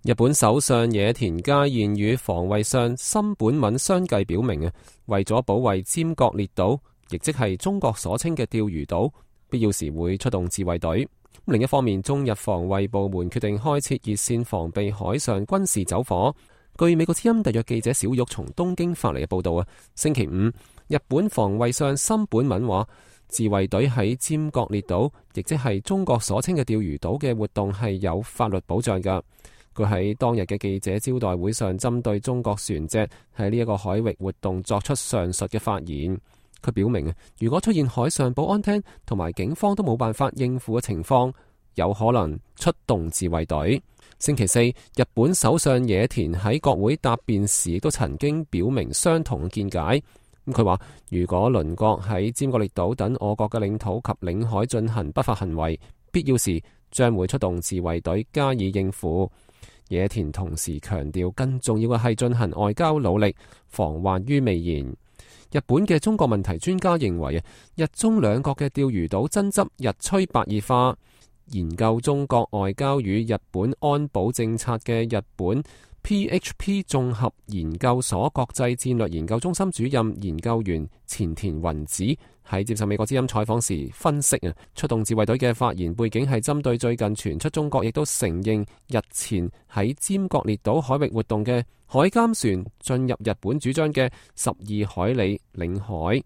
日本首相野田佳彥與防衛相森本敏相繼表明為咗保衛尖閣列島，亦即係中國所稱嘅釣魚島，必要時會出動自衛隊。另一方面，中日防衛部門決定開設熱線防備海上軍事走火。據美國之音特約記者小玉從東京發嚟嘅報道星期五，日本防衛相森本敏話，自衛隊喺尖閣列島，亦即係中國所稱嘅釣魚島嘅活動係有法律保障㗎。佢喺當日嘅記者招待會上，針對中國船隻喺呢一個海域活動作出上述嘅發言。佢表明如果出現海上保安廳同埋警方都冇辦法應付嘅情況，有可能出動自衛隊。星期四，日本首相野田喺國會答辯時亦都曾經表明相同嘅見解。佢話如果鄰國喺尖閣列島等我國嘅領土及領海進行不法行為，必要時將會出動自衛隊加以應付。野田同時強調，更重要嘅係進行外交努力，防患於未然。日本嘅中國問題專家認為日中兩國嘅釣魚島爭執日趨白熱化。研究中國外交與日本安保政策嘅日本 PHP 綜合研究所國際戰略研究中心主任研究員前田宏子喺接受美國之音採訪時分析出動自衛隊嘅發言背景係針對最近傳出中國亦都承認日前喺尖閣列島海域活動嘅海監船進入日本主張嘅12海里領海。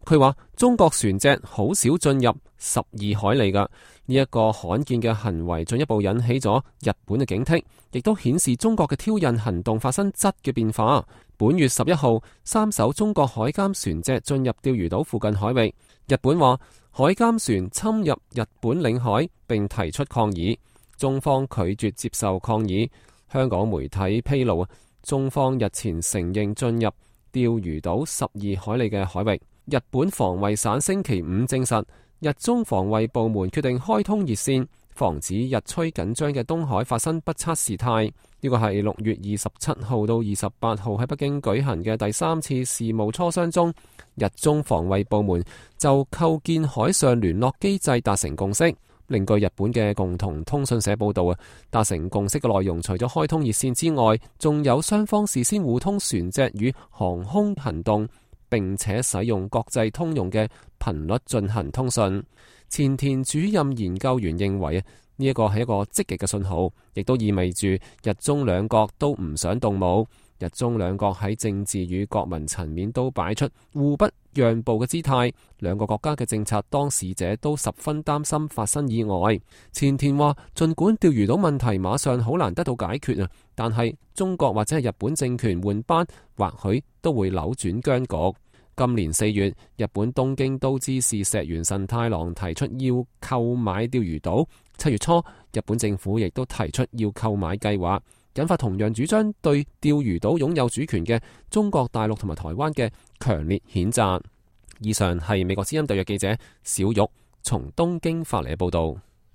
佢話中國船隻好少進入12海里㗎，呢一個罕見嘅行為進一步引起咗日本嘅警惕，亦都顯示中國嘅挑釁行動發生質嘅變化。本月11號，3艘中國海監船隻進入釣魚島附近海域，日本話海監船侵入日本領海並提出抗議，中方拒絕接受抗議。香港媒體披露中方日前承認進入釣魚島12海里嘅海域。日本防衛省星期五證實，日中防衛部門決定開通熱線，防止日趨緊張嘅東海發生不測事態。呢個係6月27號到28號喺北京舉行嘅第3次事務磋商中，日中防衛部門就構建海上聯絡機制達成共識。另據日本嘅共同通訊社報道達成共識嘅內容除咗開通熱線之外，仲有雙方事先互通船隻與航空行動，並且使用國際通用嘅頻率進行通訊。前田主任研究員認為呢一個係一個積極嘅信號，亦都意味住日中兩國都唔想動武。日中兩國喺政治與國民層面都擺出互不讓步嘅姿態，兩個國家嘅政策當事者都十分擔心發生意外。前田話，儘管釣魚島問題馬上好難得到解決但係中國或者係日本政權換班，或許都會扭轉僵局。今年4月，日本東京都知事石原慎太郎提出要購買釣魚島。7月初，日本政府亦都提出要購買計劃，引發同樣主張對釣魚島擁有主權嘅中國大陸同埋台灣嘅強烈譴責。以上係美國之音特約記者小玉從東京發嚟嘅報道。